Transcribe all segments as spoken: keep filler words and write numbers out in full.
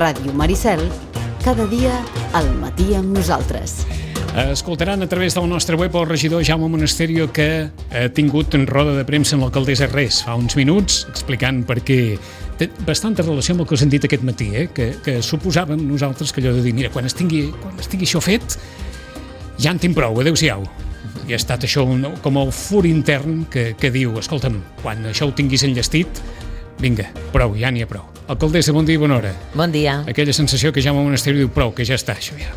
Ràdio Maricel, cada dia al matí amb nosaltres. Escoltaran a través del nostre web el regidor Jaume Monasterio, que ha tingut en roda de premsa amb l'alcaldessa Res fa uns minuts, explicant per què. Té bastanta relació amb el que us hem dit aquest matí, eh? que, que suposàvem nosaltres que allò de dir, mira, quan estigui, quan estigui això fet, ja en tinc prou, adéu-siau. I ha estat això un, com el fur intern que, que diu, escolta'm, quan això ho tinguis enllestit, vinga, prou, ja n'hi ha prou. Alcaldessa, bon dia i bona hora. Bon dia. Aquella sensació que Jaume Monasterio diu, prou, que ja està, això ja.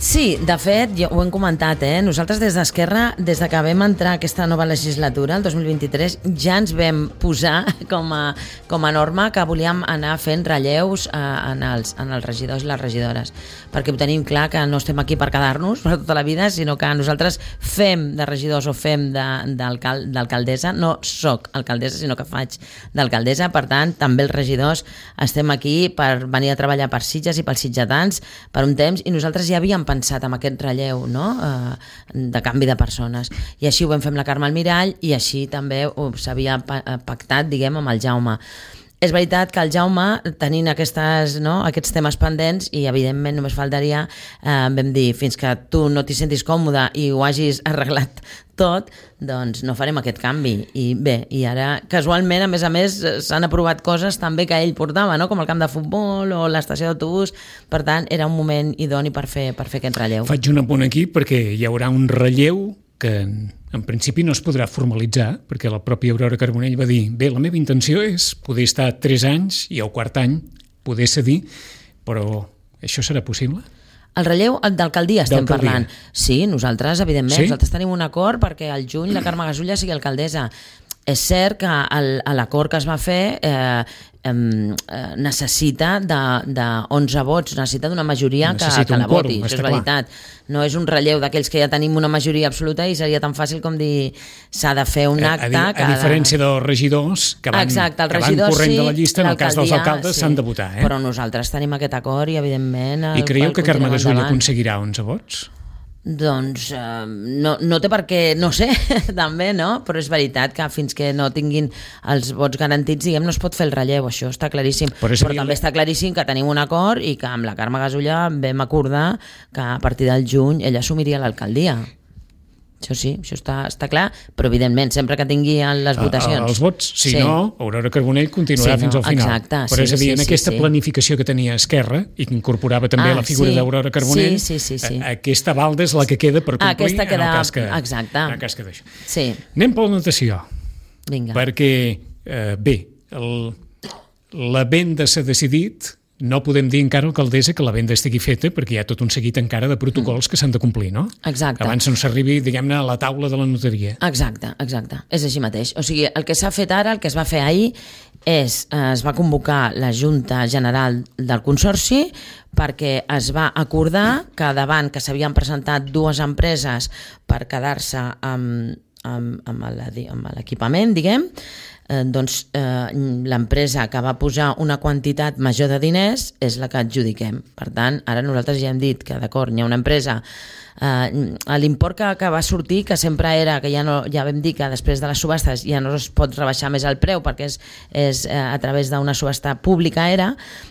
Sí, de fet, jo ho hem comentat, eh? Nosaltres des d'Esquerra, des de que vam entrar aquesta nova legislatura, el dos mil vint-i-tres, ja ens vam posar com a, com a norma que volíem anar fent relleus eh, en, els, en els regidors i les regidores, perquè ho tenim clar que no estem aquí per quedar-nos per tota la vida, sinó que nosaltres fem de regidors o fem d'alcaldessa, no soc alcaldessa, sinó que faig d'alcaldessa, per tant, també els regidors estem aquí per venir a treballar per Sitges i pels sitgetans per un temps, i nosaltres ja havíem pensat en aquest relleu, no? eh, de canvi de persones, i així ho vam fer amb la Carme Almirall i així també s'havia pactat, diguem, amb el Jaume. És veritat que el Jaume, tenint aquestes, no, aquests temes pendents, i evidentment només faltaria, eh, vam dir, fins que tu no t'hi sentis còmode i ho hagis arreglat tot, doncs no farem aquest canvi. I bé, i ara casualment, a més a més, s'han aprovat coses també que ell portava, no? Com el camp de futbol o l'estació d'autobús. Per tant, era un moment idoni per fer, per fer aquest relleu. Faig un apunt aquí perquè hi haurà un relleu que en principi no es podrà formalitzar, perquè la pròpia Aurora Carbonell va dir, bé, la meva intenció és poder estar tres anys i al quart any poder cedir, però això serà possible? El relleu d'alcaldia estem parlant. Sí, nosaltres, evidentment, sí? Nosaltres tenim un acord perquè al juny la Carme Gasulla sigui alcaldessa. És cert que l'acord que es va fer eh, eh, necessita de, de onze vots, necessita d'una majoria que, que la voti, això és veritat. No és un relleu d'aquells que ja tenim una majoria absoluta i seria tan fàcil com dir s'ha de fer un acte... A, a, a diferència dels regidors que van, Exacte, que van corrent sí, de la llista, en el cas dels alcaldes s'han sí, de votar. Eh? Però nosaltres tenim aquest acord i evidentment... I creieu que Carme Gasulla aconseguirà onze vots? Doncs eh, no, no té per què, no sé, també, no? Però és veritat que fins que no tinguin els vots garantits, diguem, no es pot fer el relleu, això està claríssim. Però, Però també està claríssim que tenim un acord i que amb la Carme Gasulla vam acordar que a partir del juny ella assumiria l'alcaldia. Això sí, això està, està clar, però evidentment, sempre que tingui les votacions... Els vots, si sí. no, Aurora Carbonell continuarà sí, no, fins al final. Exacte, però és a dir, sí, en sí, aquesta sí. planificació que tenia Esquerra i que incorporava també ah, la figura sí, d'Aurora Carbonell, sí, sí, sí, sí. aquesta balda és la que queda per complir aquesta queda, en el cas que, exacte. en el cas que d'això. Sí. Anem per la notació. Vinga. Perquè, eh, bé, el, la venda s'ha decidit... No podem dir encara, alcaldessa, que la venda estigui feta perquè hi ha tot un seguit encara de protocols que s'han de complir, no? Exacte. Abans no s'arribi, diguem-ne, a la taula de la notaria. Exacte, exacte. És així mateix. O sigui, el que s'ha fet ara, el que es va fer ahir, és, es va convocar la Junta General del Consorci perquè es va acordar que davant que s'havien presentat dues empreses per quedar-se amb, amb, amb l'equipament, diguem, Eh, doncs eh, l'empresa que va posar una quantitat major de diners és la que adjudiquem. Per tant, ara nosaltres ja hem dit que d'acord, hi ha una empresa Uh, l'import que, que va sortir, que sempre era que ja, no, ja vam dir que després de les subhastes ja no es pot rebaixar més el preu perquè és, és uh, a través d'una subhasta pública era,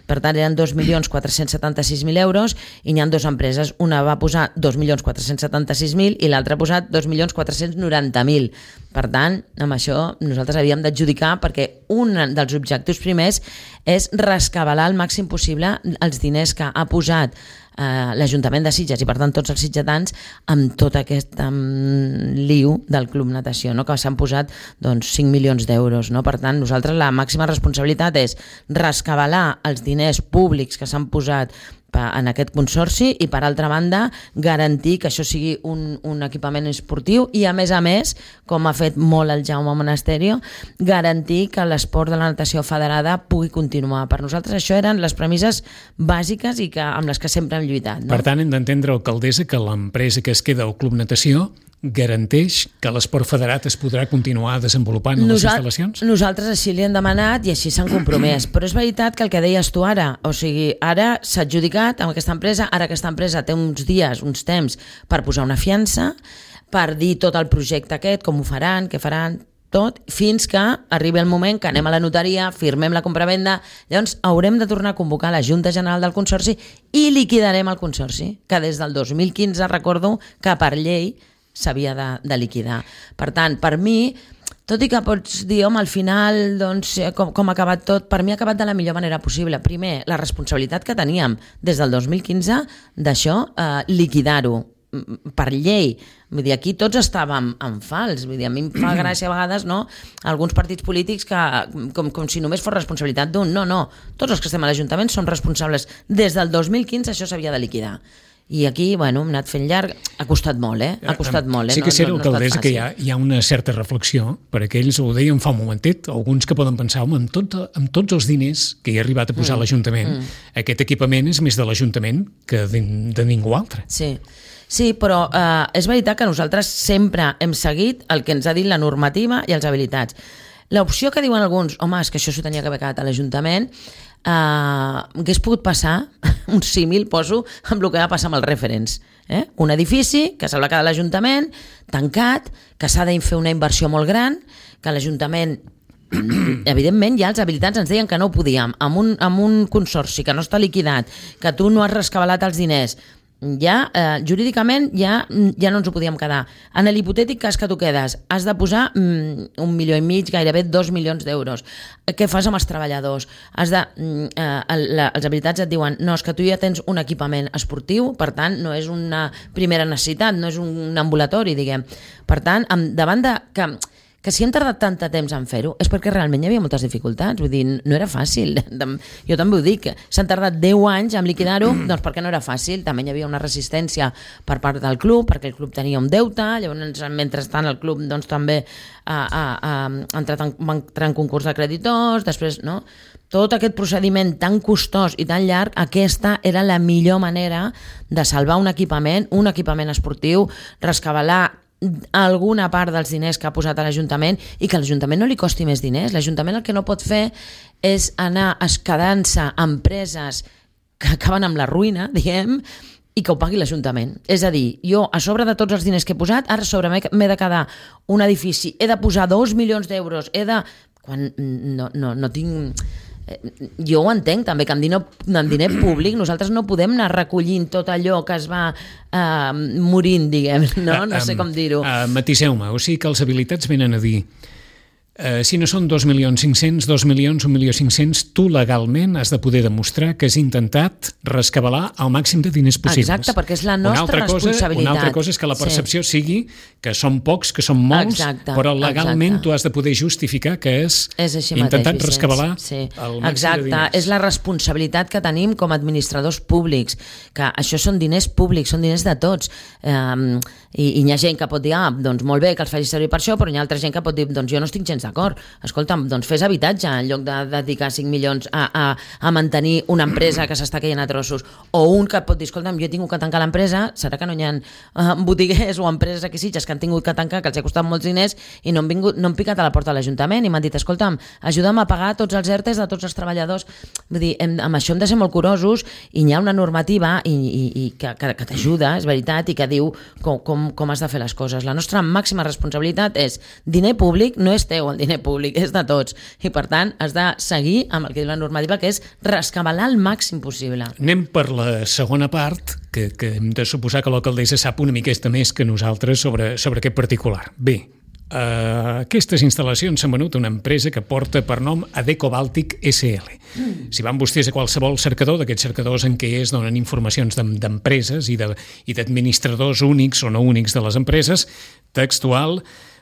per tant eren dos milions quatre-cents setanta-sis mil euros i n'hi ha dues empreses, una va posar dos milions quatre-cents setanta-sis mil i l'altra ha posat dos milions quatre-cents noranta mil. Per tant, amb això nosaltres havíem d'adjudicar perquè un dels objectius primers és rescabalar al màxim possible els diners que ha posat Uh, l'Ajuntament de Sitges i per tant tots els sitgetans amb tot aquest um, liu del Club Natació, no? Que s'han posat doncs, cinc milions d'euros, no? Per tant nosaltres la màxima responsabilitat és rescabalar els diners públics que s'han posat en aquest consorci i per altra banda garantir que això sigui un, un equipament esportiu i a més a més, com ha fet molt el Jaume Monasterio, garantir que l'esport de la natació federada pugui continuar. Per nosaltres això eren les premisses bàsiques i que, amb les que sempre hem lluitat, no? Per tant, hem d'entendre, alcaldessa, que l'empresa que es queda al Club Natació garanteix que l'esport federat es podrà continuar desenvolupant en les instal·lacions? Nosaltres així li hem demanat i així s'han compromès, però és veritat que el que deies tu ara, o sigui, ara s'ha adjudicat amb aquesta empresa, ara aquesta empresa té uns dies, uns temps per posar una fiança, per dir tot el projecte aquest, com ho faran, què faran, tot, fins que arribi el moment que anem a la notaria, firmem la compravenda, llavors haurem de tornar a convocar la Junta General del Consorci i liquidarem el Consorci, que des del dos mil quinze recordo que per llei s'havia de, de liquidar. Per tant, per mi, tot i que pots dir, home, al final, doncs, com, com ha acabat tot, per mi ha acabat de la millor manera possible. Primer, la responsabilitat que teníem des del dos mil quinze d'això, eh, liquidar-ho per llei. Vull dir, aquí tots estàvem en fals. Vull dir, a mi em fa gràcia a vegades, no?, alguns partits polítics que, com, com si només fos responsabilitat d'un. No, no. Tots els que estem a l'Ajuntament som responsables. Des del dos mil quinze això s'havia de liquidar. I aquí, bueno, hem anat fent llarg. Ha costat molt, eh? Ha costat molt, eh? Sí que és cert, no, no, alcaldessa, que hi ha, hi ha una certa reflexió, per aquells, ho deien fa un momentet, alguns que poden pensar, home, amb, tot, amb tots els diners que hi ha arribat a posar mm. l'Ajuntament, mm. aquest equipament és més de l'Ajuntament que de, de ningú altre. Sí. Sí, però eh, és veritat que nosaltres sempre hem seguit el que ens ha dit la normativa i els habilitats. L'opció que diuen alguns, home, és que això s'ho tenia que haver quedat a l'Ajuntament, eh, hagués pogut passar, un símil poso, amb el que va passar amb els referents. Eh? Un edifici que se'l va quedar a l'Ajuntament, tancat, que s'ha de fer una inversió molt gran, que l'Ajuntament evidentment ja els habilitats ens deien que no ho podíem, amb un, amb un consorci que no està liquidat, que tu no has rescabalat els diners, ja, eh, jurídicament ja, ja no ens ho podíem quedar. En l'hipotètic cas que tu quedes, has de posar mm, un milió i mig, gairebé dos milions d'euros. Què fas amb els treballadors? Has de, mm, eh, la, els habilitats et diuen, no, és que tu ja tens un equipament esportiu, per tant, no és una primera necessitat, no és un ambulatori, diguem. Per tant, amb, davant de... que que si hem tardat tant de temps en fer-ho és perquè realment hi havia moltes dificultats, vull dir, no era fàcil. Jo també ho dic, s'han tardat deu anys en liquidar-ho, doncs perquè no era fàcil, també hi havia una resistència per part del club, perquè el club tenia un deute, llavors mentrestant el club doncs també ha, ha, ha entrat en, va entrar en concurs de creditors, després, no? Tot aquest procediment tan costós i tan llarg, aquesta era la millor manera de salvar un equipament, un equipament esportiu, rescabalar alguna part dels diners que ha posat a l'Ajuntament i que a l'Ajuntament no li costi més diners. L'Ajuntament el que no pot fer és anar esquedant-se empreses que acaben amb la ruïna, diguem, i que ho pagui l'Ajuntament. És a dir, jo a sobre de tots els diners que he posat, ara a sobre m'he de quedar un edifici, he de posar dos milions d'euros, he de... quan no, no, no tinc... Jo ho entenc també, que amb diner, amb diner públic nosaltres no podem anar recollint tot allò que es va uh, morint, diguem, no? No sé com dir-ho. Uh, uh, Matiseu-me, o sigui que els habilitats venen a dir Uh, si no són dos milions cinc-cents, dos milions, un milió cinc-cents, tu legalment has de poder demostrar que has intentat rescabalar el màxim de diners possibles. Exacte, perquè és la nostra una cosa, responsabilitat. Una altra cosa és que la percepció sí. sigui que són pocs, que són molts, exacte, però legalment exacte. Tu has de poder justificar que has és intentat mateix, rescabalar sí. el màxim exacte. de diners. És la responsabilitat que tenim com a administradors públics, que això són diners públics, són diners de tots. Um, i, i hi ha gent que pot dir, ah, doncs molt bé que els faci servir per això, però hi ha altra gent que pot dir, doncs jo no estic gens d'acord. Escolta'm, doncs fes habitatge en lloc de dedicar cinc milions a, a, a mantenir una empresa que s'està caient a trossos. O un que pot dir, escolta'm, jo he tingut que tancar l'empresa, serà que no hi ha uh, botiguers o empreses aquí Sitges que han tingut que tancar, que els ha costat molts diners i no han, vingut, no han picat a la porta de l'Ajuntament i m'han dit, escolta'm, ajuda'm a pagar tots els ERTEs de tots els treballadors. Vull dir, hem, amb això hem de ser molt curosos i hi ha una normativa i, i, i que, que, que t'ajuda, és veritat, i que diu com, com, com has de fer les coses. La nostra màxima responsabilitat és diner públic, no és teu el diner públic, és de tots. I per tant has de seguir amb el que diu la normativa, que és rescabalar el màxim possible. Anem per la segona part, que, que hem de suposar que l'alcaldessa sap una miqueta més que nosaltres sobre, sobre aquest particular. Bé, Uh, aquestes instal·lacions s'han venut a una empresa que porta per nom Adeco Bàltic S L. Mm. Si van vostès a qualsevol cercador, d'aquests cercadors en què es donen informacions d'empreses i d'administradors únics o no únics de les empreses, textual,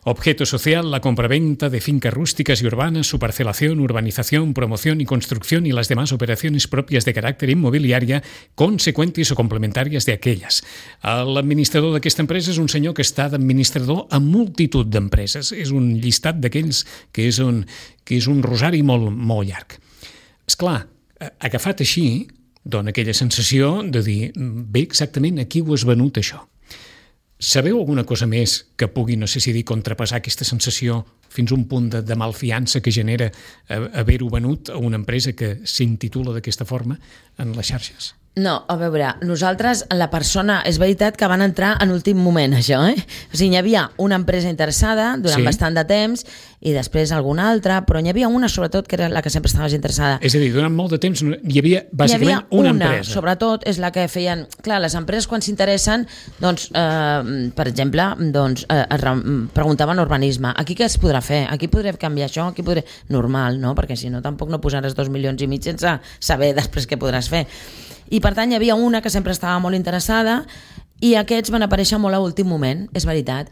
objeto social, la compraventa de fincas rústicas y urbanas, su parcelación, urbanización, promoción y construcción y las demás operaciones propias de carácter inmobiliaria, consecuentes o complementàries d'aquelles. L'administrador d'aquesta empresa és un senyor que està d'administrador a multitud d'empreses. És un llistat d'aquells que és un, que és un rosari molt, molt llarg. Esclar, agafat així, dona aquella sensació de dir, bé, exactament a qui ho has venut això? Sabeu alguna cosa més que pugui, no sé si dir, contrapassar aquesta sensació fins a un punt de, de malfiança que genera haver-ho venut a una empresa que s'intitula d'aquesta forma en les xarxes? No, a veure, nosaltres, la persona, és veritat que van entrar en últim moment, això, eh? O sigui, hi havia una empresa interessada durant sí. bastant de temps i després alguna altra, però n'hi havia una sobretot que era la que sempre estaves interessada. És a dir, durant molt de temps hi havia bàsicament hi havia una, una empresa. Sobretot és la que feien... Clar, les empreses quan s'interessen, doncs, eh, per exemple, doncs, eh, es preguntaven urbanisme. Aquí què es podrà fer? Aquí podré canviar això? Aquí podré... Normal, no? Perquè si no tampoc no posaràs dos milions i mig sense saber després què podràs fer. I per tant hi havia una que sempre estava molt interessada i aquests van aparèixer molt a últim moment, és veritat.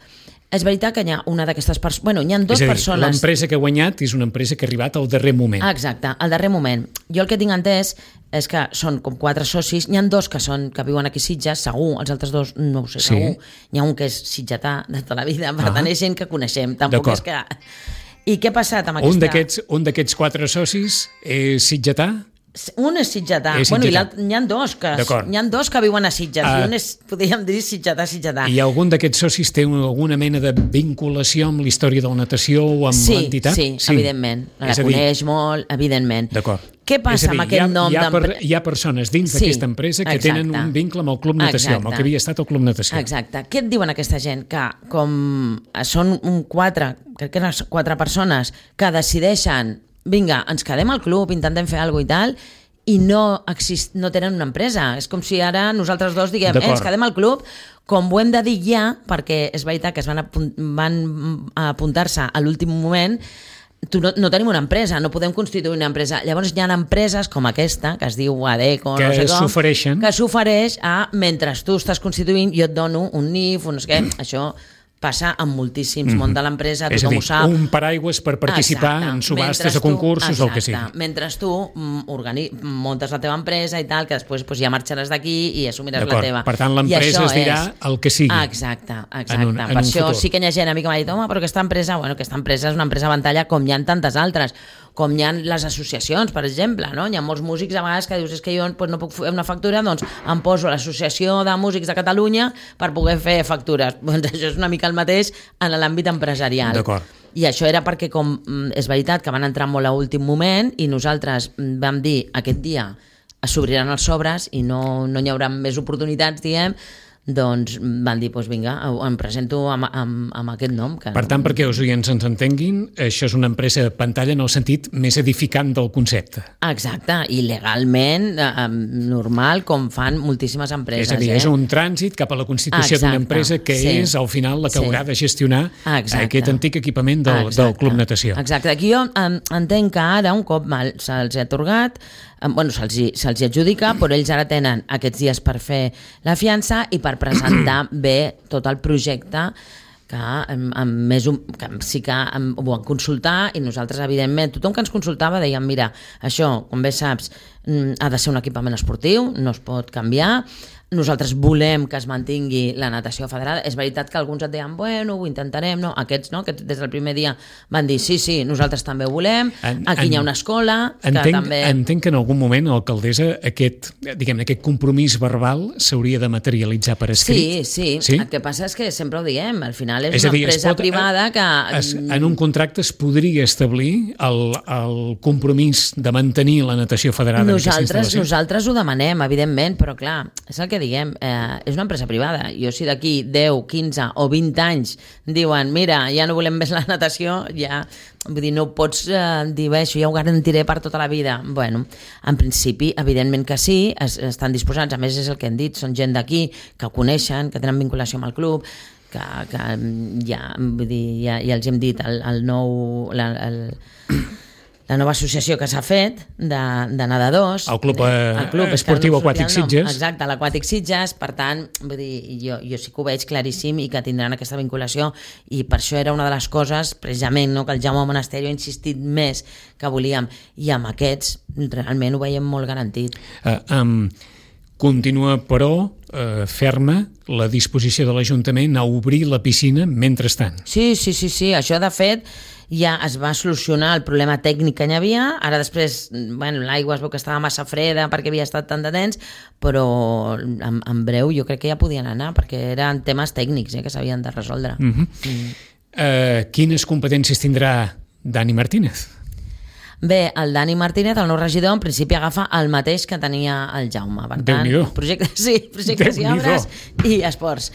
És veritat que hi ha una d'aquestes persones... Bueno, hi ha dues és a dir, persones... l'empresa que ha guanyat és una empresa que ha arribat al darrer moment. Exacte, al darrer moment. Jo el que tinc entès és que són com quatre socis, n'hi ha dos que són que viuen aquí a Sitges, segur, els altres dos no ho sé, Sí. segur. N'hi ha un que és sitgetà de tota la vida, per Ah. tant és gent que coneixem, tampoc D'acord. és que... I què ha passat amb Un aquesta... d'aquests un d'aquests quatre socis és sitgetà? Un és sitgetà, És bueno, i sitgetà. l'altre- n'hi ha dos que D'acord. n'hi ha dos que viuen a Sitges, Ah. i un és, podríem dir, sitgetà, sitgetà. I algun d'aquests socis té una- alguna mena de vinculació amb la història de la natació o amb Sí, l'entitat? sí, evidentment. La És a dir, coneix molt, evidentment. D'acord. Què passa És a dir, amb aquest hi ha, nom hi ha, per, d'empre- hi ha persones dins Sí, d'aquesta empresa que exacte. tenen un vincle amb el Club Natació, amb el Exacte. que havia estat el Club Natació. Exacte. Què et diuen aquesta gent? Que com són un quatre, crec que eren quatre persones que decideixen, vinga, ens quedem al club, intentem fer alguna cosa i tal, i no, exist, no tenen una empresa. És com si ara nosaltres dos diguem, eh, ens quedem al club, com ho hem de dir ja, perquè és veritat que es van, apunt, van apuntar-se a l'últim moment, tu no, no tenim una empresa, no podem constituir una empresa. Llavors hi ha empreses com aquesta, que es diu Adeco, Que no sé com, s'ofereixen. que s'ofereix a, mentre tu estàs constituint, jo et dono un N I F, un no sé què, això passa amb moltíssims, món de l'empresa, És a tothom dir, ho sap. un paraigües per participar Exacte. en subhastes, Mentre a concursos, tu, el que sigui. exacte. Mentre tu mm, organi, muntes la teva empresa i tal, que després pues, ja marxaràs d'aquí i assumiràs la D'acord. teva. Per tant, I l'empresa això es dirà és- el que sigui. Exacte, exacte. en un- en per un això futur. sí que hi ha gent a mi que m'ha dit, home, però aquesta empresa, bueno, aquesta empresa és una empresa ventalla com hi ha tantes altres, com hi ha les associacions, per exemple, no? Hi ha molts músics a vegades que dius, és que jo pues, no puc fer una factura, doncs em poso a l'Associació de Músics de Catalunya per poder fer factures. Doncs això és una mica el mateix en l'àmbit empresarial. D'acord. I això era perquè, com mm, és veritat que van entrar molt a últim moment i nosaltres mm, vam dir aquest dia s'obriran els sobres i no, no hi haurà més oportunitats, diguem, doncs van dir, doncs vinga, em presento amb, amb, amb aquest nom. Que... Per tant, perquè els oients ens entenguin, això és una empresa pantalla en el sentit més edificant del concepte. Exacte, i legalment eh, normal, com fan moltíssimes empreses. És a dir, eh? és un trànsit cap a la constitució d'una Exacte, empresa que sí. és, al final, la que Sí. haurà de gestionar Exacte. aquest antic equipament del, Exacte. del Club Natació. Exacte. Aquí jo en, entenc que ara, un cop mal, se'ls ha atorgat, eh, bueno, se'ls hi, se'ls hi adjudica, però ells ara tenen aquests dies per fer la fiança i per presentar bé tot el projecte que, amb, amb més un, que sí que amb, ho van consultar i nosaltres, evidentment, tothom que ens consultava dèiem, mira, això, com bé saps, mm, ha de ser un equipament esportiu, no es pot canviar, nosaltres volem que es mantingui la natació federada. És veritat que alguns et deien, bueno, ho intentarem, no? Aquests, no? Aquests des del primer dia van dir, sí, sí, nosaltres també ho volem, En- aquí en- hi ha una escola que Entenc, també... entenc que en algun moment, alcaldessa, aquest, diguem, aquest compromís verbal s'hauria de materialitzar per escrit. Sí, sí, Sí? el que passa és que sempre ho diem, al final és, És a una dir, es empresa pot- privada que... Es, en un contracte es podria establir el, el compromís de mantenir la natació federada en aquesta Nosaltres, instal·lació? nosaltres ho demanem, evidentment, però clar, és el que diguem, eh, és una empresa privada. Jo si d'aquí deu, quinze o vint anys diuen, mira, ja no volem més la natació, ja, vull dir, no pots eh, dir, bé, això ja ho garantiré per tota la vida. Bueno, en principi, evidentment que sí, es, estan disposats, a més és el que hem dit, són gent d'aquí, que ho coneixen, que tenen vinculació amb el club, que, que ja, vull dir, ja, ja els hem dit, el, el nou... La, el, la nova associació que s'ha fet de, de nedadors. El Club, eh, el club Esportiu no em sortia Aquàtic el nom. Sitges. Exacte, l'Aquàtic Sitges, per tant, vull dir, jo, jo sí que ho veig claríssim i que tindran aquesta vinculació i per això era una de les coses, precisament, no, que el Jaume Monasterio ha insistit més que volíem, i amb aquests realment ho veiem molt garantit. Uh, um, continua, però, uh, ferma la disposició de l'Ajuntament a obrir la piscina mentrestant. Sí, sí, sí, sí, això de fet ja es va solucionar el problema tècnic que hi havia, ara després, bueno, l'aigua es veu que estava massa freda perquè havia estat tant de temps, però en, en breu jo crec que ja podien anar, perquè eren temes tècnics eh, que s'havien de resoldre. Uh -huh. mm. uh, quines competències tindrà Dani Martínez? Bé, el Dani Martínez, el nou regidor, en principi agafa el mateix que tenia el Jaume. Per tant, Déu-n'hi-do. projectes, sí, projectes i Déu-n'hi-do. obres i esports.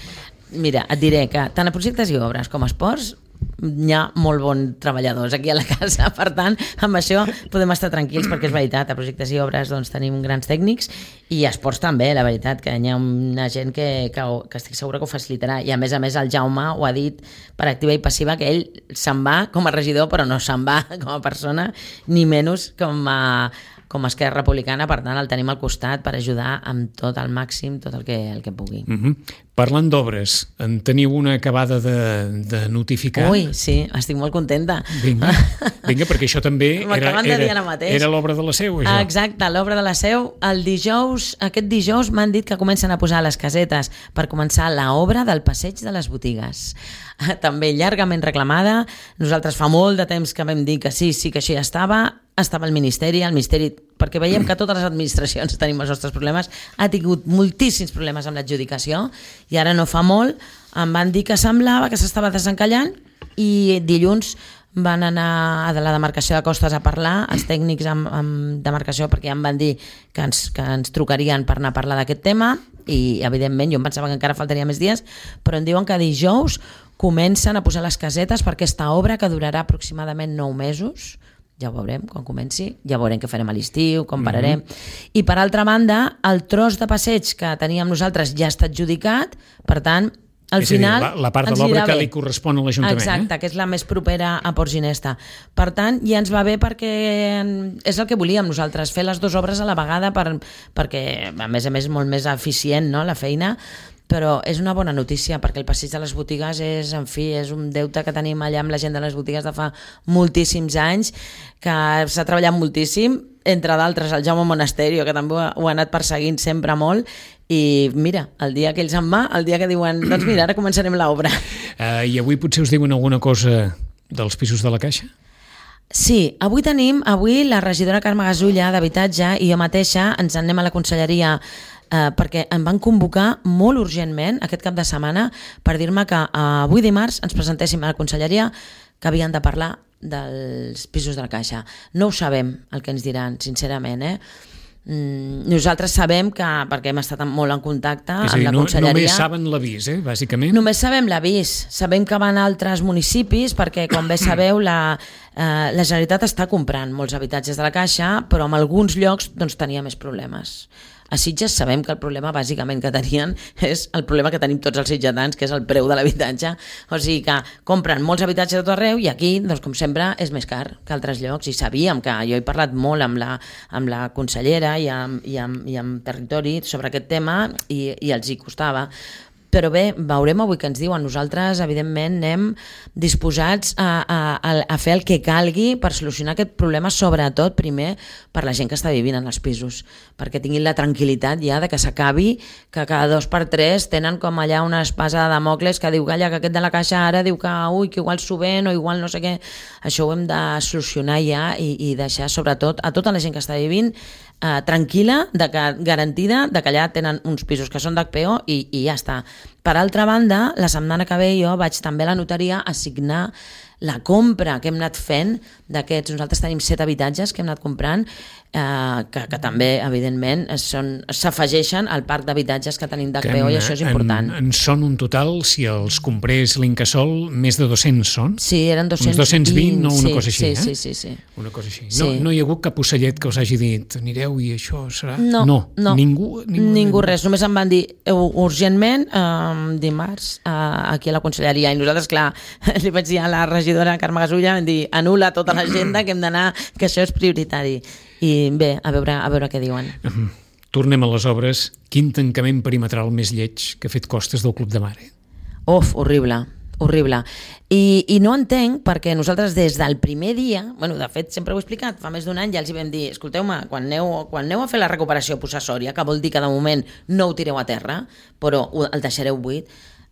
Mira, et diré que tant a projectes i obres com a esports hi ha molt bons treballadors aquí a la casa, per tant, amb això podem estar tranquils, perquè és veritat, a projectes i obres doncs, tenim grans tècnics, i a esports també, la veritat, que hi ha una gent que, que, que estic segura que ho facilitarà, i a més a més el Jaume ho ha dit per activa i passiva, que ell se'n va com a regidor, però no se'n va com a persona, ni menys com a com a Esquerra Republicana, per tant el tenim al costat per ajudar amb tot el màxim, tot el que, el que pugui. Uh-huh. Parlant d'obres, en teniu una acabada de, de notificar? Ui, sí, estic molt contenta. Vinga, vinga, perquè això també era, era, era l'obra de la Seu, això. Exacte, l'obra de la Seu. El dijous, aquest dijous m'han dit que comencen a posar les casetes per començar l'obra del passeig de les botigues. També llargament reclamada. Nosaltres fa molt de temps que vam dir que sí, sí que això ja estava, estava el Ministeri, el Ministeri, perquè veiem que totes les administracions tenim els nostres problemes, ha tingut moltíssims problemes amb l'adjudicació, i ara no fa molt em van dir que semblava que s'estava desencallant, i dilluns van anar a la demarcació de Costes a parlar, els tècnics amb, amb demarcació, perquè ja em van dir que ens, que ens trucarien per anar a parlar d'aquest tema, i evidentment jo em pensava que encara faltaria més dies, però em diuen que dijous comencen a posar les casetes per aquesta obra que durarà aproximadament nou mesos. Ja ho veurem quan comenci, ja veurem què farem a l'estiu, com pararem. Mm-hmm. I per altra banda, el tros de passeig que teníem nosaltres ja està adjudicat, per tant, al és final... És a dir, la, la part de l'obra que li correspon a l'Ajuntament. Exacte, eh? que és la més propera a Port Ginesta. Per tant, ja ens va bé perquè és el que volíem nosaltres, fer les dues obres a la vegada, per, perquè a més a més és molt més eficient, no?, la feina, però és una bona notícia perquè el passeig de les botigues és, en fi, és un deute que tenim allà amb la gent de les botigues de fa moltíssims anys, que s'ha treballat moltíssim, entre d'altres el Jaume Monasterio, que també ho ha, ho ha anat perseguint sempre molt, i mira, el dia que ells en va, el dia que diuen, doncs mira, ara començarem l'obra. Uh, I avui potser us diuen alguna cosa dels pisos de la Caixa? Sí, avui tenim, avui la regidora Carme Gasulla d'Habitatge i jo mateixa ens en anem a la conselleria eh, perquè em van convocar molt urgentment aquest cap de setmana per dir-me que eh, avui dimarts ens presentéssim a la conselleria que havien de parlar dels pisos de la Caixa. No ho sabem el que ens diran, sincerament, eh? Mm, nosaltres sabem que, perquè hem estat molt en contacte és a dir, amb la no, conselleria... Només saben l'avís, eh, bàsicament? Només sabem l'avís. Sabem que van a altres municipis perquè, com bé sabeu, la, eh, la Generalitat està comprant molts habitatges de la Caixa, però en alguns llocs doncs, tenia més problemes. A Sitges sabem que el problema bàsicament que tenien és el problema que tenim tots els sitgetans, que és el preu de l'habitatge. O sigui que compren molts habitatges de tot arreu i aquí, doncs, com sempre, és més car que altres llocs. I sabíem que jo he parlat molt amb la, amb la consellera i amb, i, amb, i amb Territori sobre aquest tema i, i els hi costava. Però bé, veurem avui què ens diuen. Nosaltres, evidentment, anem disposats a, a, a fer el que calgui per solucionar aquest problema, sobretot, primer, per la gent que està vivint en els pisos, perquè tinguin la tranquil·litat ja de que s'acabi, que cada dos per tres tenen com allà una espasa de Damocles que diu que, que aquest de la Caixa ara diu que, ui, que igual s'ho ven o igual no sé què. Això ho hem de solucionar ja i, i deixar, sobretot, a tota la gent que està vivint Uh, tranquil·la, de que, garantida de que allà tenen uns pisos que són d'H P O i, i ja està. Per altra banda, la setmana que ve jo vaig també a la notaria a signar la compra que hem anat fent d'aquests. Nosaltres tenim set habitatges que hem anat comprant, eh, que, que també, evidentment, s'afegeixen al parc d'habitatges que tenim d'H P O i això és important. En, en són un total, si els comprés l'Incasòl, més de dos-cents són? Sí, eren dos-cents vint. Uns dos-cents vint, no una sí, cosa així, sí, eh? Sí, sí, sí. Una cosa així. Sí. No, no hi ha hagut cap ocellet que us hagi dit anireu i això serà? No, no. no. Ningú, ningú, ningú res. Només em van dir urgentment eh, dimarts eh, aquí a la conselleria i nosaltres, clar, li vaig dir a la regidora Carme Gasulla, vam dir anul·la tota l'agenda que hem d'anar, que això és prioritari. I bé, a veure, a veure què diuen. Tornem a les obres. Quin tancament perimetral més lleig que ha fet Costes del Club de Mare? Uf, horrible. horrible. I, I no entenc perquè nosaltres des del primer dia, bueno, de fet sempre ho he explicat, fa més d'un any ja els hi vam dir, escolteu-me, quan aneu, quan aneu a fer la recuperació possessòria, que vol dir que de moment no ho tireu a terra, però el deixareu buit,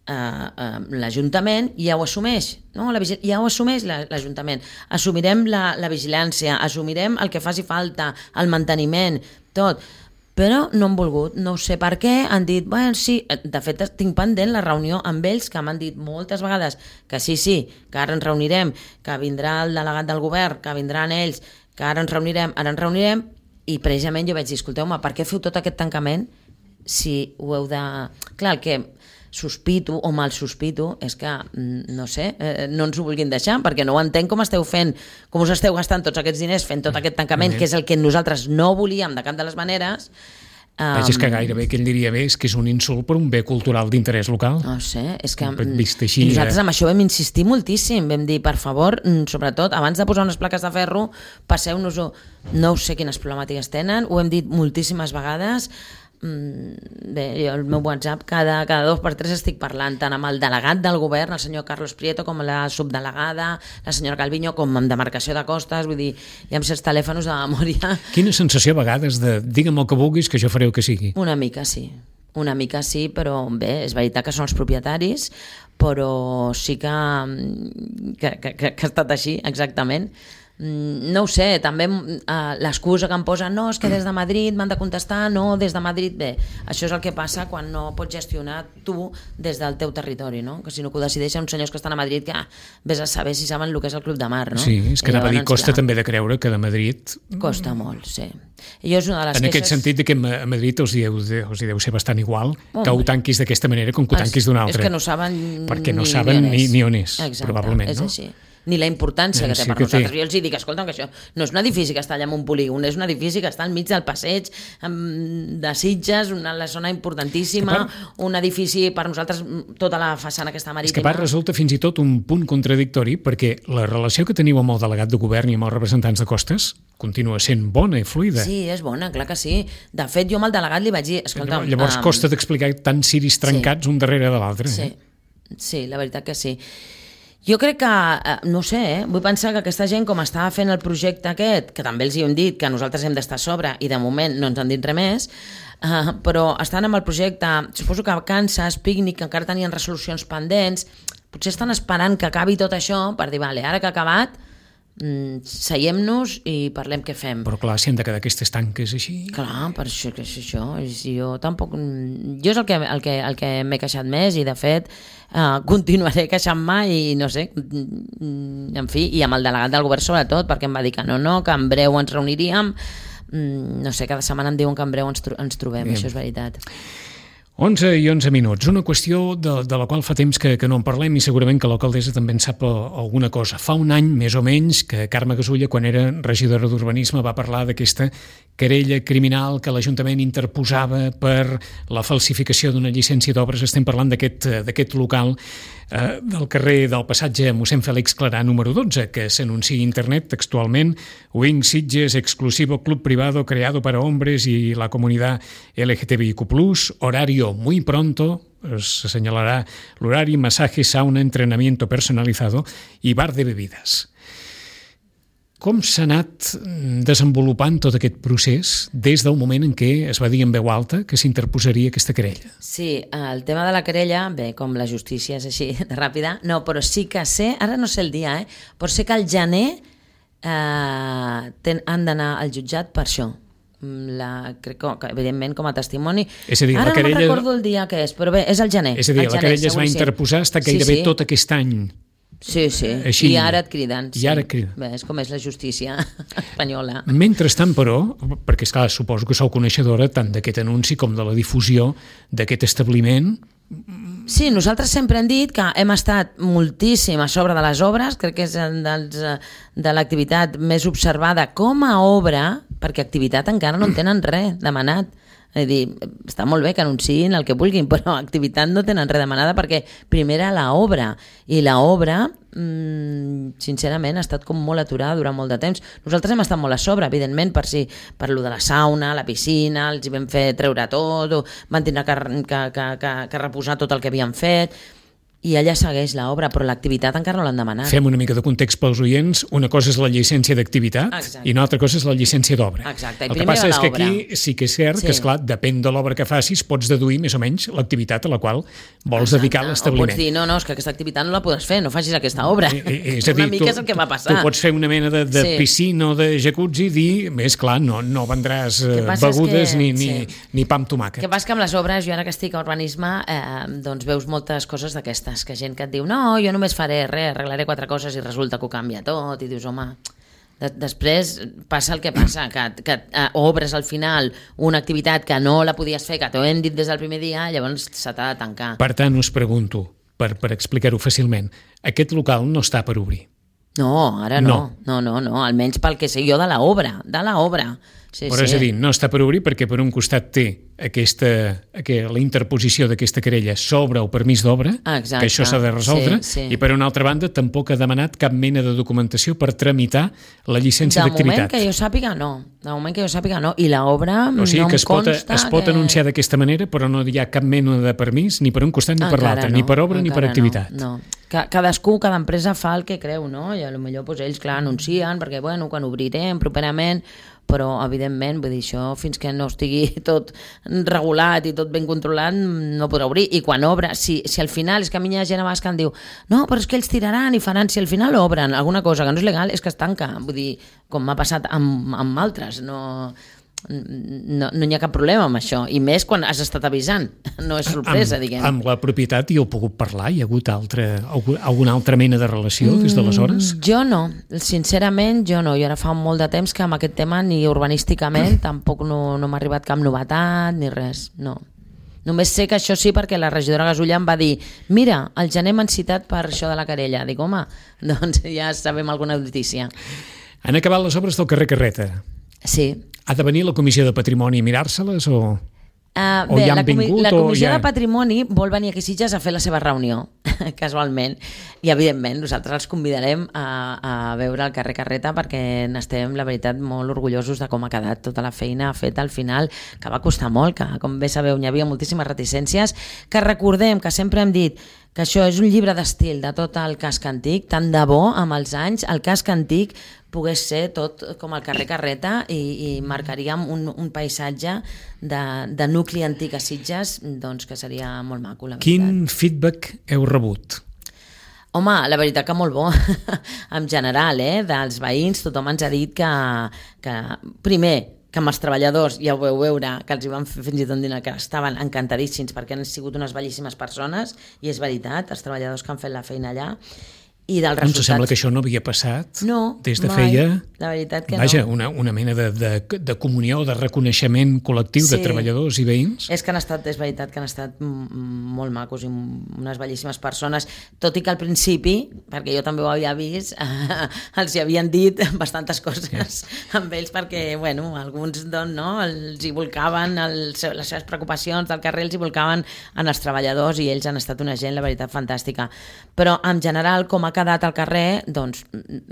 Uh, uh, l'Ajuntament ja ho assumeix, no? la, ja ho assumeix l'Ajuntament. Assumirem la, la vigilància, assumirem el que faci falta, el manteniment, tot. Però no han volgut, no sé per què, han dit, bueno, sí, de fet tinc pendent la reunió amb ells, que m'han dit moltes vegades que sí, sí, que ara ens reunirem, que vindrà el delegat del govern, que vindran ells, que ara ens reunirem, ara ens reunirem, i precisament jo vaig dir, escolteu-me, per què feu tot aquest tancament si ho heu de... Clar, el que... sospito o mal sospito és que, no sé, eh, no ens ho vulguin deixar, perquè no ho entenc com esteu fent, com us esteu gastant tots aquests diners fent tot aquest tancament, que és el que nosaltres no volíem de cap de les maneres. Um, és que gairebé que ell diria bé és que és un insult per un bé cultural d'interès local. No sé, és que així, i nosaltres amb això vam insistir moltíssim, vam dir, per favor, sobretot, abans de posar unes plaques de ferro, passeu-nos-ho. No sé quines problemàtiques tenen, ho hem dit moltíssimes vegades. Bé, jo el meu WhatsApp cada, cada dos per tres estic parlant tant amb el delegat del govern, el senyor Carlos Prieto, com la subdelegada, la senyora Calviño, com amb demarcació de costes, vull dir, hi ha els telèfons de memòria. Quina sensació a vegades de digue'm el que vulguis que jo faré el que sigui? Una mica sí, una mica sí, però bé, és veritat que són els propietaris, però sí que, que, que, que ha estat així, exactament. No ho sé, també uh, l'excusa que em posen, no, és que des de Madrid m'han de contestar, no, des de Madrid, bé, això és el que passa quan no pots gestionar tu des del teu territori, no? Que si no que ho decideixen uns senyors que estan a Madrid que ah, vés a saber si saben el que és el Club de Mar, no? Sí, és que anava a dir, costa clar. També de creure que de Madrid... Costa molt, sí. I és una de les en queixes... aquest sentit que a Madrid els hi deu, els hi deu ser bastant igual oh, que ho tanquis d'aquesta manera com que ho tanquis d'una altra. És que no saben perquè no ni, saben ni, ni, ni on és, exacte, probablement, és no? Així. Ni la importància que té sí per que nosaltres. Té. Jo els dic, escolta'm, que això no és un edifici que està allà en un polígon, és un edifici que està al mig del passeig de Sitges, una la zona importantíssima, part, un edifici per nosaltres, tota la façana que està marítima. És que a part resulta fins i tot un punt contradictori perquè la relació que teniu amb el delegat de govern i amb els representants de costes continua sent bona i fluida. Sí, és bona, clar que sí. De fet, jo amb el delegat li vaig dir... Escolta'm, llavors um... costa d'explicar tants ciris trencats sí. un darrere de l'altre. Sí. Eh? sí, la veritat que sí. Jo crec que, no sé, eh? vull pensar que aquesta gent, com estava fent el projecte aquest, que també els hi hem dit que nosaltres hem d'estar a sobre i de moment no ens han dit res més, uh, però estan amb el projecte, suposo que vacances, pícnic, que encara tenien resolucions pendents, potser estan esperant que acabi tot això per dir, vale, ara que ha acabat, mm, seiem-nos i parlem què fem. Però clar, si han de quedar aquestes tanques així... Clar, per això que és això. Jo tampoc... Jo és el que, el que, el que m'he queixat més i, de fet, Uh, continuaré queixant-me i no sé, en fi, i amb el delegat del govern sobretot, perquè em va dir que no, no, que en breu ens reuniríem, mm, no sé, cada setmana em diuen que en breu ens, tro ens trobem. Bien. Això és veritat. onze i onze minuts, una qüestió de, de la qual fa temps que, que no en parlem i segurament que l'alcaldessa també en sap alguna cosa. Fa un any, més o menys, que Carme Gasulla, quan era regidora d'Urbanisme, va parlar d'aquesta querella criminal que l'Ajuntament interposava per la falsificació d'una llicència d'obres. Estem parlant d'aquest local eh, del carrer del passatge Mossèn Fèlix Clarà número dotze, que s'anuncia a internet textualment: Wing Sitges, exclusivo club privado creado para hombres y la comunidad L G T B I Q plus, horario muy pronto, se señalará l'horari, masaje, sauna, entrenamiento personalizado i bar de bebides. Com s'ha anat desenvolupant tot aquest procés des del moment en què es va dir en veu alta que s'interposaria aquesta querella? Sí, el tema de la querella, bé, com la justícia és així de ràpida, no, però sí que sé, ara no sé el dia, eh, però sé que al gener eh, ten, han d'anar al jutjat per això. La, crec que, evidentment, com a testimoni. És a dir, ara la querella... no me'n recordo el dia que és, però bé, és el gener. És a dir, el la gener, querella es va interposar fins gairebé sí, sí. tot aquest any. Sí, sí, Així, i ara et criden. I sí. ara et criden. Bé, és com és la justícia espanyola. Mentrestant, però, perquè esclar, suposo que sou coneixedora tant d'aquest anunci com de la difusió d'aquest establiment. Sí, nosaltres sempre hem dit que hem estat moltíssim a sobre de les obres, crec que és dels, de l'activitat més observada com a obra, perquè activitat encara no en tenen res demanat. És a dir, està molt bé que anunciïn el que vulguin, però activitat no tenen res demanada perquè primer era l'obra, i l'obra, mmm, sincerament, ha estat com molt aturada durant molt de temps. Nosaltres hem estat molt a sobre, evidentment, per si per lo de la sauna, la piscina, els hi vam fer treure tot, o van tindre que, que, que, que, que reposar tot el que havien fet, i allà segueix l'obra, però l'activitat encara no l'han demanat. Fem una mica de context pels oients. Una cosa és la llicència d'activitat i una altra cosa és la llicència d'obra. Exacte. El que passa és que aquí sí que és cert sí. que, esclar, depèn de l'obra que facis, pots deduir més o menys l'activitat a la qual vols Exacte. dedicar l'establiment. O pots dir, no, no, és que aquesta activitat no la podràs fer, no facis aquesta obra. I, és a dir, una mica tu, és el que va passar. Tu pots fer una mena de, de sí. piscina o de jacuzzi i dir, més clar, no, no vendràs begudes que, ni, ni, sí. ni pa amb tomàquet. El que passa que amb les obres, jo ara que estic a urbanisme, eh, doncs veus moltes coses d'aquestes, que gent que et diu, no, jo només faré res, arreglaré quatre coses i resulta que ho canvia tot, i dius, home, De, després passa el que passa, que, que uh, obres al final una activitat que no la podies fer, que t'ho hem dit des del primer dia, llavors se t'ha de tancar. Per tant, us pregunto, per, per explicar-ho fàcilment, aquest local no està per obrir? No, ara no. No, no, no, no. Almenys pel que sé jo de l'obra, de l'obra. Sí, Però sí. és a dir, no està per obrir perquè per un costat té aquesta, aquesta, la interposició d'aquesta querella sobre el permís d'obra, Exacte. que això s'ha de resoldre, sí, sí. i per una altra banda tampoc ha demanat cap mena de documentació per tramitar la llicència de d'activitat. De moment que jo sàpiga no, de moment que jo sàpiga no, i l'obra o sigui no que em es pot, consta es pot que... anunciar d'aquesta manera, però no hi ha cap mena de permís ni per un costat ni per Encara l'altre, no, ni per obra ni per activitat. No, no. Cadascú, cada empresa fa el que creu, no? I potser doncs, ells, clar, anuncien, perquè, bueno, quan obrirem properament, però, evidentment, vull dir, això fins que no estigui tot regulat i tot ben controlat, no podrà obrir. I quan obre, si, si al final, és que a mi hi ha gent a vegades que em diu no, però és que ells tiraran i faran, si al final obren alguna cosa que no és legal, és que es tanca. Vull dir, com m'ha passat amb, amb altres, no... No, no hi ha cap problema amb això, i més quan has estat avisant, no és sorpresa, amb, diguem. Amb la propietat hi heu pogut parlar? Hi ha hagut altra, alguna altra mena de relació des d'aleshores? Mm, jo no, sincerament jo no, jo ara fa molt de temps que amb aquest tema ni urbanísticament tampoc no, no m'ha arribat cap novetat ni res, no. Només sé que això sí perquè la regidora Gasulla em va dir mira, al gener m'han citat per això de la querella. Dic, home, doncs ja sabem alguna notícia. Han acabat les obres del carrer Carreta? Sí. Ha de venir la Comissió de Patrimoni a mirar-se-les o, uh, o bé, ja han la, comi vingut? la Comissió ja... de Patrimoni vol venir aquí a Sitges a fer la seva reunió, casualment, i evidentment nosaltres els convidarem a, a veure el carrer Carreta perquè n'estem, la veritat, molt orgullosos de com ha quedat tota la feina feta al final, que va costar molt, que com bé sabeu hi havia moltíssimes reticències, que recordem que sempre hem dit que això és un llibre d'estil de tot el casc antic, tant de bo amb els anys el casc antic pogués ser tot com el carrer Carreta i, i marcaríem un, un paisatge de, de nucli antic a Sitges, doncs que seria molt maco, la veritat. Quin feedback heu rebut? Home, la veritat que molt bo, en general, eh, dels veïns, tothom ens ha dit que, que primer, que amb els treballadors, ja ho veu veure, que els hi van fer fins i tot dinar, que estaven encantadíssims perquè han sigut unes bellíssimes persones, i és veritat, els treballadors que han fet la feina allà, i dels resultats... Ens sembla que això no havia passat no, des de mai. feia... La veritat que Vaja, no. una, una mena de, de, de comunió, de reconeixement col·lectiu sí. de treballadors i veïns. És que han estat, és veritat que han estat molt macos i unes bellíssimes persones, tot i que al principi, perquè jo també ho havia vist, els hi havien dit bastantes coses sí. amb ells perquè, bueno, alguns doncs, no, els hi volcaven, els, les seves preocupacions del carrer els hi volcaven en els treballadors i ells han estat una gent, la veritat, fantàstica. Però en general, com a quedat al carrer, doncs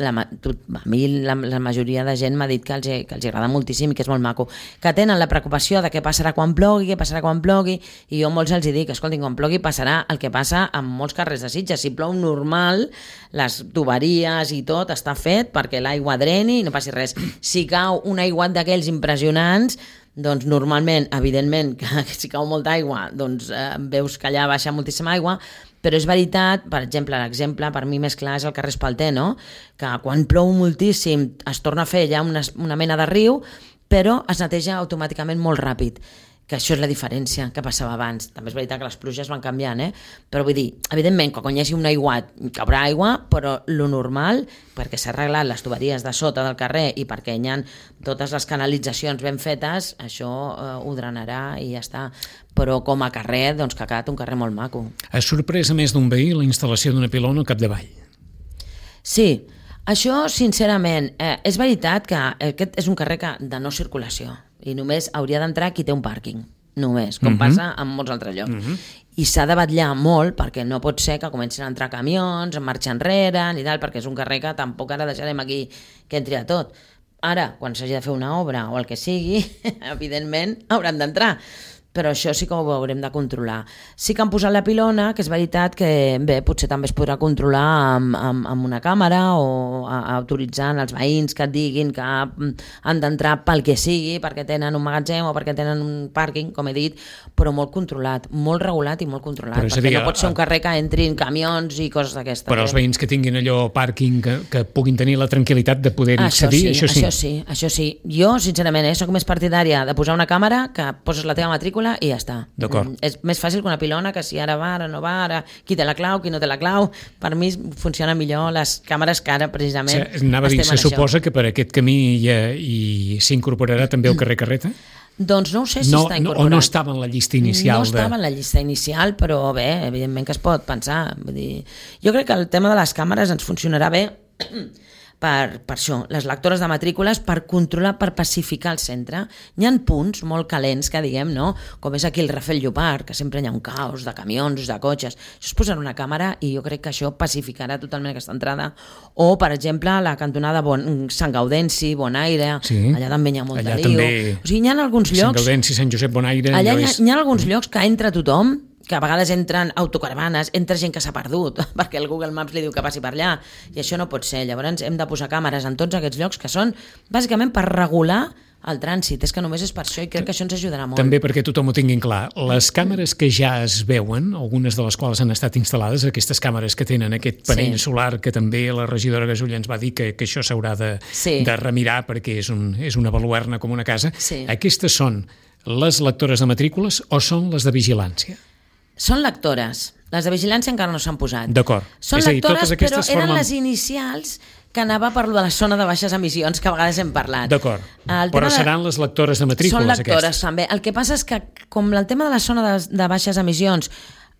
la, a mi la, la majoria de gent m'ha dit que els, que els agrada moltíssim i que és molt maco, que tenen la preocupació de què passarà quan plogui, què passarà quan plogui, i jo molts els dic, escoltin, quan plogui passarà el que passa en molts carrers de Sitges, si plou normal, les tuberies i tot està fet perquè l'aigua dreni i no passi res. Si cau un aiguat d'aquells impressionants, doncs normalment, evidentment, que si cau molta aigua, doncs eh, veus que allà baixa moltíssima aigua, però és veritat, per exemple, l'exemple per mi més clar és el carrer Espalter, no? Que quan plou moltíssim es torna a fer ja una, una mena de riu, però es neteja automàticament molt ràpid, que això és la diferència que passava abans. També és veritat que les pluges van canviant, eh? Però vull dir, evidentment, quan hi hagi un aiguat caurà aigua, però lo normal, perquè s'ha arreglat les tuberies de sota del carrer i perquè hi ha totes les canalitzacions ben fetes, això eh, ho drenarà i ja està. Però com a carrer, doncs que ha quedat un carrer molt maco. Ha sorprès a més d'un veí la instal·lació d'una pilona al capdavall. Sí, això sincerament, eh, és veritat que aquest és un carrer que, de no circulació i només hauria d'entrar qui té un pàrquing, només, com uh-huh. passa en molts altres llocs. Uh-huh. I s'ha de vetllar molt perquè no pot ser que comencin a entrar camions, en marxa enrere, ni tal, perquè és un carrer que tampoc ara deixarem aquí que entri a tot. Ara, quan s'hagi de fer una obra o el que sigui, evidentment hauran d'entrar. Però això sí que ho haurem de controlar. Sí que han posat la pilona, que és veritat que bé, potser també es podrà controlar amb, amb, amb una càmera o a, a, autoritzant els veïns que et diguin que han d'entrar pel que sigui, perquè tenen un magatzem o perquè tenen un pàrquing, com he dit, però molt controlat, molt regulat i molt controlat, però perquè dir, no pot ser un carrer que entrin camions i coses d'aquestes. Però els veïns que tinguin allò pàrquing, que, que puguin tenir la tranquil·litat de poder-hi accedir, això, sí, això sí. Això sí, això sí. Jo, sincerament, eh, soc més partidària de posar una càmera, que poses la teva matrícula matrícula i ja està. D'acord. Mm, és més fàcil que una pilona, que si ara va, ara no va, ara qui té la clau, qui no té la clau. Per mi funciona millor les càmeres que ara precisament o sigui, anava a dir, se suposa que per aquest camí hi, hi s'incorporarà també el carrer Carreta? Doncs no ho sé si no, està incorporat. O no estava en la llista inicial? No estava de... en la llista inicial, però bé, evidentment que es pot pensar. Vull dir, jo crec que el tema de les càmeres ens funcionarà bé per, per això, les lectores de matrícules, per controlar, per pacificar el centre. Hi ha punts molt calents que diguem, no? Com és aquí el Rafael Llopart, que sempre hi ha un caos de camions, de cotxes. Això es posarà una càmera i jo crec que això pacificarà totalment aquesta entrada. O, per exemple, la cantonada bon, Sant Gaudenci, Bonaire, sí. Allà també hi ha molt allà de lío. També... O sigui, hi ha alguns llocs... Sant Gaudenci, Sant Josep Bonaire... Allà hi ha, és... hi ha alguns llocs que entra tothom, que a vegades entren autocaravanes, entra gent que s'ha perdut, perquè el Google Maps li diu que passi per allà, i això no pot ser. Llavors hem de posar càmeres en tots aquests llocs que són bàsicament per regular el trànsit. És que només és per això i crec que això ens ajudarà molt. També perquè tothom ho tinguin clar. Les càmeres que ja es veuen, algunes de les quals han estat instal·lades, aquestes càmeres que tenen aquest panell sí. solar, que també la regidora Gasulla ens va dir que, que això s'haurà de, sí. de remirar perquè és, un, és una baluerna com una casa. Sí. Aquestes són les lectores de matrícules o són les de vigilància? Són lectores. Les de vigilància encara no s'han posat. D'acord. Són és lectores, a dir, però eren formen... les inicials que anava per lo de la zona de baixes emissions, que a vegades hem parlat. D'acord. Però seran de... les lectores de matrícules, són lectores, aquestes. També. El que passa és que, com el tema de la zona de, de baixes emissions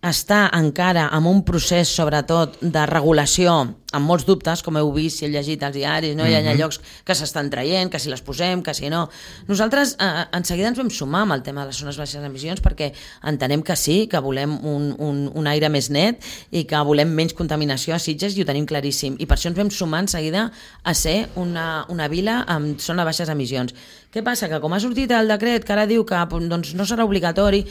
està encara en un procés, sobretot, de regulació, amb molts dubtes, com heu vist si heu llegit els diaris, no? Mm-hmm. Hi ha llocs que s'estan traient, que si les posem, que si no. Nosaltres eh, en seguida ens vam sumar amb el tema de les zones baixes emissions perquè entenem que sí, que volem un, un, un aire més net i que volem menys contaminació a Sitges i ho tenim claríssim. I per això ens vam sumar en seguida a ser una, una vila amb zona de baixes emissions. Què passa? Que com ha sortit el decret que ara diu que doncs, no serà obligatori,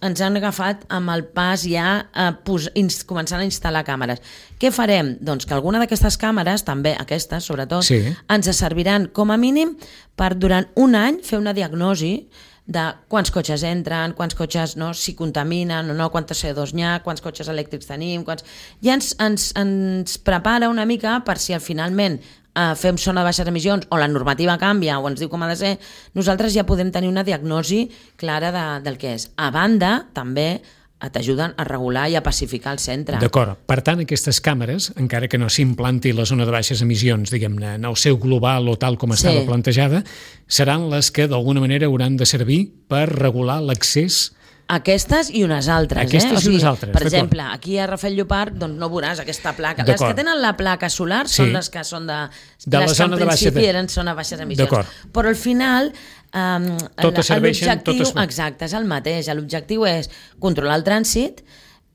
ens han agafat amb el pas ja a pos, ins, començant a instal·lar càmeres. Què farem? Doncs que alguna d'aquestes càmeres, també aquestes sobretot, sí. ens serviran com a mínim per durant un any fer una diagnosi de quants cotxes entren, quants cotxes no, si contaminen o no, quanta C O dos n'hi ha, quants cotxes elèctrics tenim, quants... ja ens, ens, ens prepara una mica per si al finalment Uh, fem zona de baixes emissions o la normativa canvia o ens diu com ha de ser, nosaltres ja podem tenir una diagnosi clara de, del que és. A banda, també t'ajuden a regular i a pacificar el centre. D'acord. Per tant, aquestes càmeres, encara que no s'implanti la zona de baixes emissions, diguem-ne, en el seu global o tal com estava sí. plantejada, seran les que d'alguna manera hauran de servir per regular l'accés. Aquestes i unes altres. Aquestes eh? O sigui, i unes altres. Per exemple, aquí a Rafael Llopart doncs no veuràs aquesta placa. Les que tenen la placa solar són sí. les que són de... de les que en principi de... eren zona de baixes emissions. Però al final... Um, totes serveixen, totes... Exacte, és el mateix. L'objectiu és controlar el trànsit,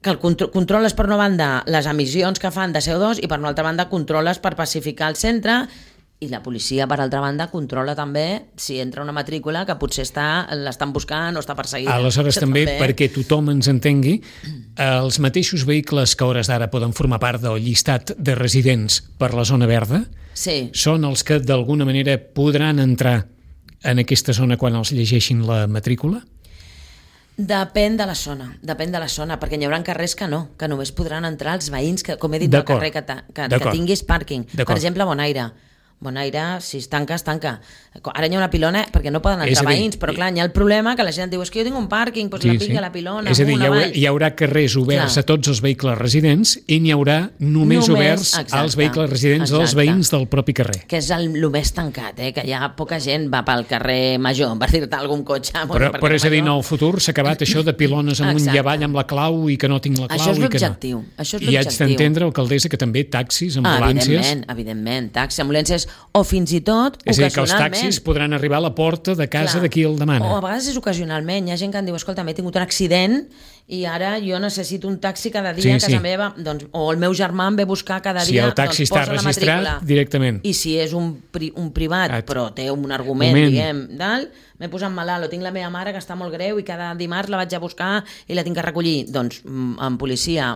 que el contro controles per una banda les emissions que fan de C O dos i per una altra banda controles per pacificar el centre. I la policia, per altra banda, controla també si entra una matrícula que potser l'estan buscant o està perseguida. Aleshores, Això també, també, perquè tothom ens entengui, els mateixos vehicles que a hores d'ara poden formar part del llistat de residents per la zona verda sí. són els que d'alguna manera podran entrar en aquesta zona quan els llegeixin la matrícula? Depèn de la zona, depèn de la zona, perquè hi haurà carrers que no, que només podran entrar els veïns, que, com he dit, del carrer que, que, que tinguis pàrquing. Per exemple, Bonaire. Bonaire, si es tanca, es tanca. Ara hi ha una pilona perquè no poden entrar veïns, però clar, hi ha el problema que la gent diu és que jo tinc un pàrquing, doncs sí, la pica sí. la pilona. És a dir, hi haurà, hi haurà carrers oberts clar. a tots els vehicles residents i n'hi haurà només, només oberts exacte, als vehicles residents exacte. dels veïns del propi carrer. Que és el, el més tancat, eh? Que hi ha poca gent va pel carrer Major, per dir-te algun cotxe. Però, però és a dir, no, al futur s'ha acabat això de pilones amunt i avall amb la clau i que no tinc la clau. Això és l'objectiu. No. I haig d'entendre, alcaldessa, que també taxis, ambulàncies... Ah, evidentment, evidentment, taxis, ambulàncies o fins i tot és a dir, que els taxis podran arribar a la porta de casa Clar. de qui el demana. O a vegades és ocasionalment. Hi ha gent que em diu, escolta, m'he tingut un accident i ara jo necessito un taxi cada dia sí, a casa sí. meva, doncs, o el meu germà em ve a buscar cada si dia, el taxi doncs està posa registrat la matrícula. Directament. I si és un, pri un privat, At. però té un argument, Moment. diguem, dalt, m'he posat malalt, o tinc la meva mare que està molt greu i cada dimarts la vaig a buscar i la tinc que recollir, doncs amb policia,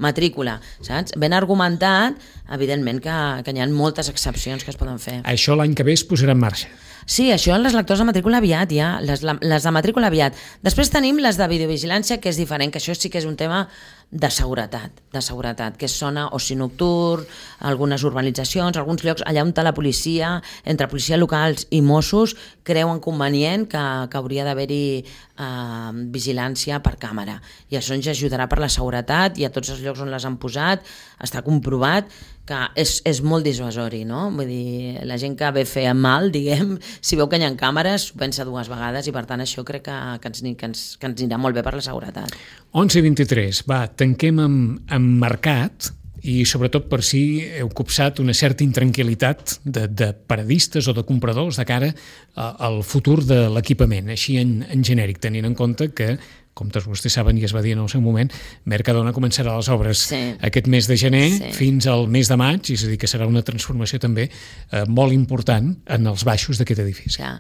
matrícula, saps? Ben argumentat, evidentment que, que hi ha moltes excepcions que es poden fer. Això l'any que ve es posarà en marxa. Sí, això les lectors de matrícula aviat, ja, les, les de matrícula aviat. Després tenim les de videovigilància, que és diferent, que això sí que és un tema de seguretat, de seguretat, que és zona oci nocturn, algunes urbanitzacions, alguns llocs allà on la policia, entre policia locals i Mossos, creuen convenient que, que hauria d'haver-hi eh, vigilància per càmera. I això ens ajudarà per la seguretat, i a tots els llocs on les han posat està comprovat que és, és molt dissuasori, no? Vull dir, la gent que ve fer mal, diguem, si veu que hi ha càmeres, ho pensa dues vegades, i per tant això crec que, que, ens, que, ens, que ens anirà molt bé per la seguretat. onze i vint-i-tres, va, tanquem amb, amb mercat, i sobretot per si heu copsat una certa intranquil·litat de, de paradistes o de compradors de cara al futur de l'equipament, així en, en genèric, tenint en compte que, com tots vostès saben i es va dir en el seu moment, Mercadona començarà les obres sí. aquest mes de gener sí. fins al mes de maig, és a dir, que serà una transformació també eh, molt important en els baixos d'aquest edifici. Ja.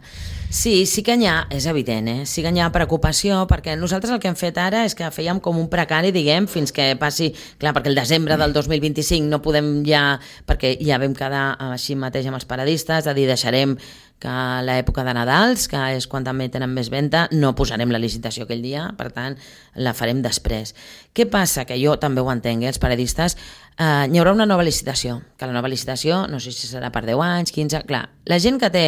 Sí, sí que n'hi ha, és evident, eh? sí que n'hi ha preocupació, perquè nosaltres el que hem fet ara és que fèiem com un precari, diguem, fins que passi, clar, perquè el desembre del dos mil vint-i-cinc no podem ja, perquè ja vam quedar així mateix amb els paradistes, de dir, deixarem que a l'època de Nadals, que és quan també tenen més venda, no posarem la licitació aquell dia, per tant, la farem després. Què passa? Que jo també ho entenc, eh, els paradistes, eh, hi haurà una nova licitació, que la nova licitació, no sé si serà per deu anys, quinze... Clar, la gent que té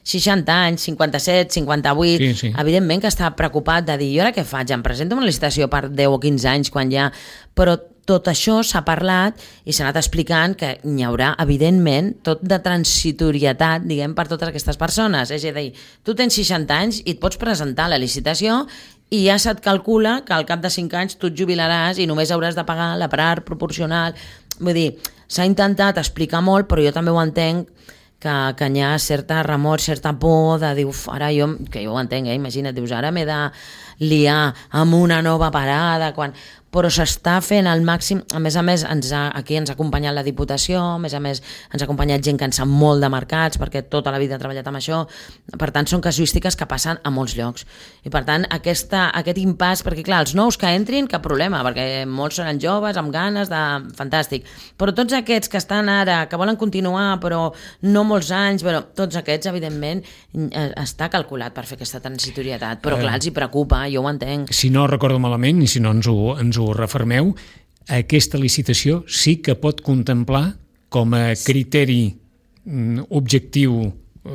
seixanta anys, cinquanta-set, cinquanta-vuit, sí, sí. evidentment que està preocupat de dir, i ara què faig? Em presento una licitació per deu o quinze anys quan ja... Però tot això s'ha parlat i s'ha anat explicant que hi haurà, evidentment, tot de transitorietat, diguem, per totes aquestes persones. És a dir, tu tens seixanta anys i et pots presentar a la licitació i ja se't calcula que al cap de cinc anys tu et jubilaràs i només hauràs de pagar la part proporcional. Vull dir, s'ha intentat explicar molt, però jo també ho entenc que, que hi ha certa remor, certa por de dir, uf, ara jo, que jo ho entenc, eh? Imagina't, dius, ara m'he de liar amb una nova parada, quan... però s'està fent al màxim. A més a més, ens ha, aquí ens ha acompanyat la Diputació, a més a més ens ha acompanyat gent que en sap molt de mercats, perquè tota la vida ha treballat amb això, per tant són casuístiques que passen a molts llocs. I per tant, aquesta, aquest impàs, perquè clar, els nous que entrin, cap problema, perquè molts seran joves, amb ganes de... Fantàstic. Però tots aquests que estan ara, que volen continuar, però no molts anys, però tots aquests, evidentment, està calculat per fer aquesta transitorietat, però clar, els hi preocupa, jo ho entenc. Si no recordo malament, i si no ens ho, ens ho refermeu, aquesta licitació sí que pot contemplar com a criteri objectiu,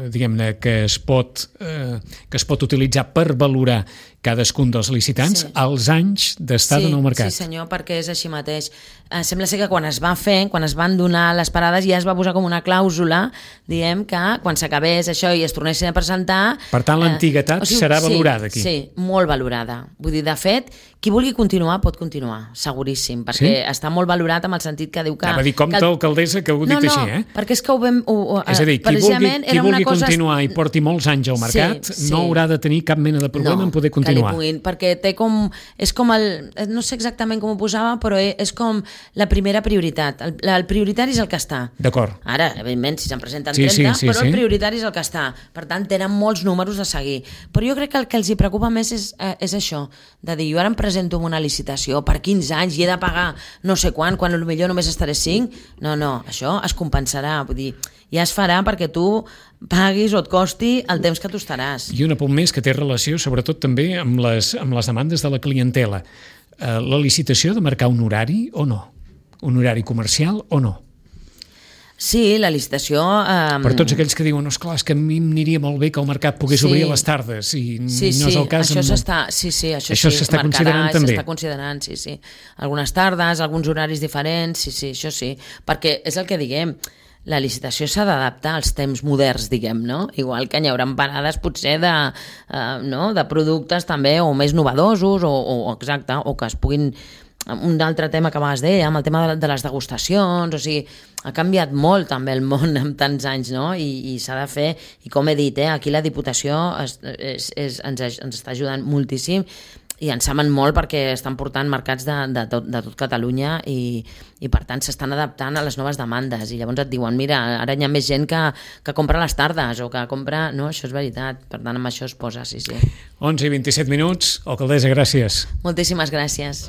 diguem-ne, que es pot eh, que es pot utilitzar per valorar cadascun dels licitants, sí. els anys d'estada sí, en el mercat. Sí, senyor, perquè és així mateix. Eh, sembla ser que quan es va fer, quan es van donar les parades, ja es va posar com una clàusula, diem que quan s'acabés això i es tornessin a presentar... Per tant, l'antiguitat eh, o sigui, serà valorada aquí. Sí, sí, molt valorada. Vull dir, de fet, qui vulgui continuar pot continuar, seguríssim, perquè sí? està molt valorat amb el sentit que diu que... Anava a dir, compte, que el... alcaldessa, que ho he dit no, no, així, eh? perquè és que ho vam... Ho, ho, és a dir, qui vulgui, qui vulgui cosa... continuar i porti molts anys al mercat, sí, sí. no haurà de tenir cap mena de problema no, en poder continuar. Puguin, perquè té com, és com el, no sé exactament com ho posava, però és com la primera prioritat. El, el prioritari és el que està. D'acord. Ara, evidentment, si se'n presenten sí, trenta, sí, sí, però sí. el prioritari és el que està. Per tant, tenen molts números a seguir. Però jo crec que el que els hi preocupa més és, eh, és això, de dir, jo ara em presento en una licitació per quinze anys i he de pagar no sé quan, quan potser només estaré cinc. No, no, això es compensarà. Vull dir, ja es farà perquè tu paguis o et costi el temps que tu estaràs. I un apunt més que té relació sobretot també amb les, amb les demandes de la clientela. Eh, la licitació ha de marcar un horari o no? Un horari comercial o no? Sí, la licitació... Eh... Per tots aquells que diuen, esclar, és que a mi m'aniria molt bé que el mercat pogués sí. obrir a les tardes i sí, no és el cas. Això amb... s'està, sí, sí, això, això sí, s'està marcarà, considerant també. S'està considerant, sí, sí. Algunes tardes, alguns horaris diferents, sí, sí, això sí. Perquè és el que diguem, la licitació s'ha d'adaptar als temps moderns, diguem, no? Igual que hi haurà parades potser de, uh, no? de productes també o més novedosos o, o exacte, o que es puguin... Un altre tema que abans deia, amb el tema de les degustacions, o sigui, ha canviat molt també el món en tants anys, no? I, i s'ha de fer, i com he dit, eh, aquí la Diputació es, és, és, ens, ens està ajudant moltíssim i en saben molt perquè estan portant mercats de, de, tot, de tot Catalunya i, i per tant s'estan adaptant a les noves demandes i llavors et diuen, mira, ara hi ha més gent que, que compra a les tardes o que compra... No, això és veritat, per tant amb això es posa, sí, sí. onze i vint-i-set minuts, alcaldessa, gràcies. Moltíssimes gràcies.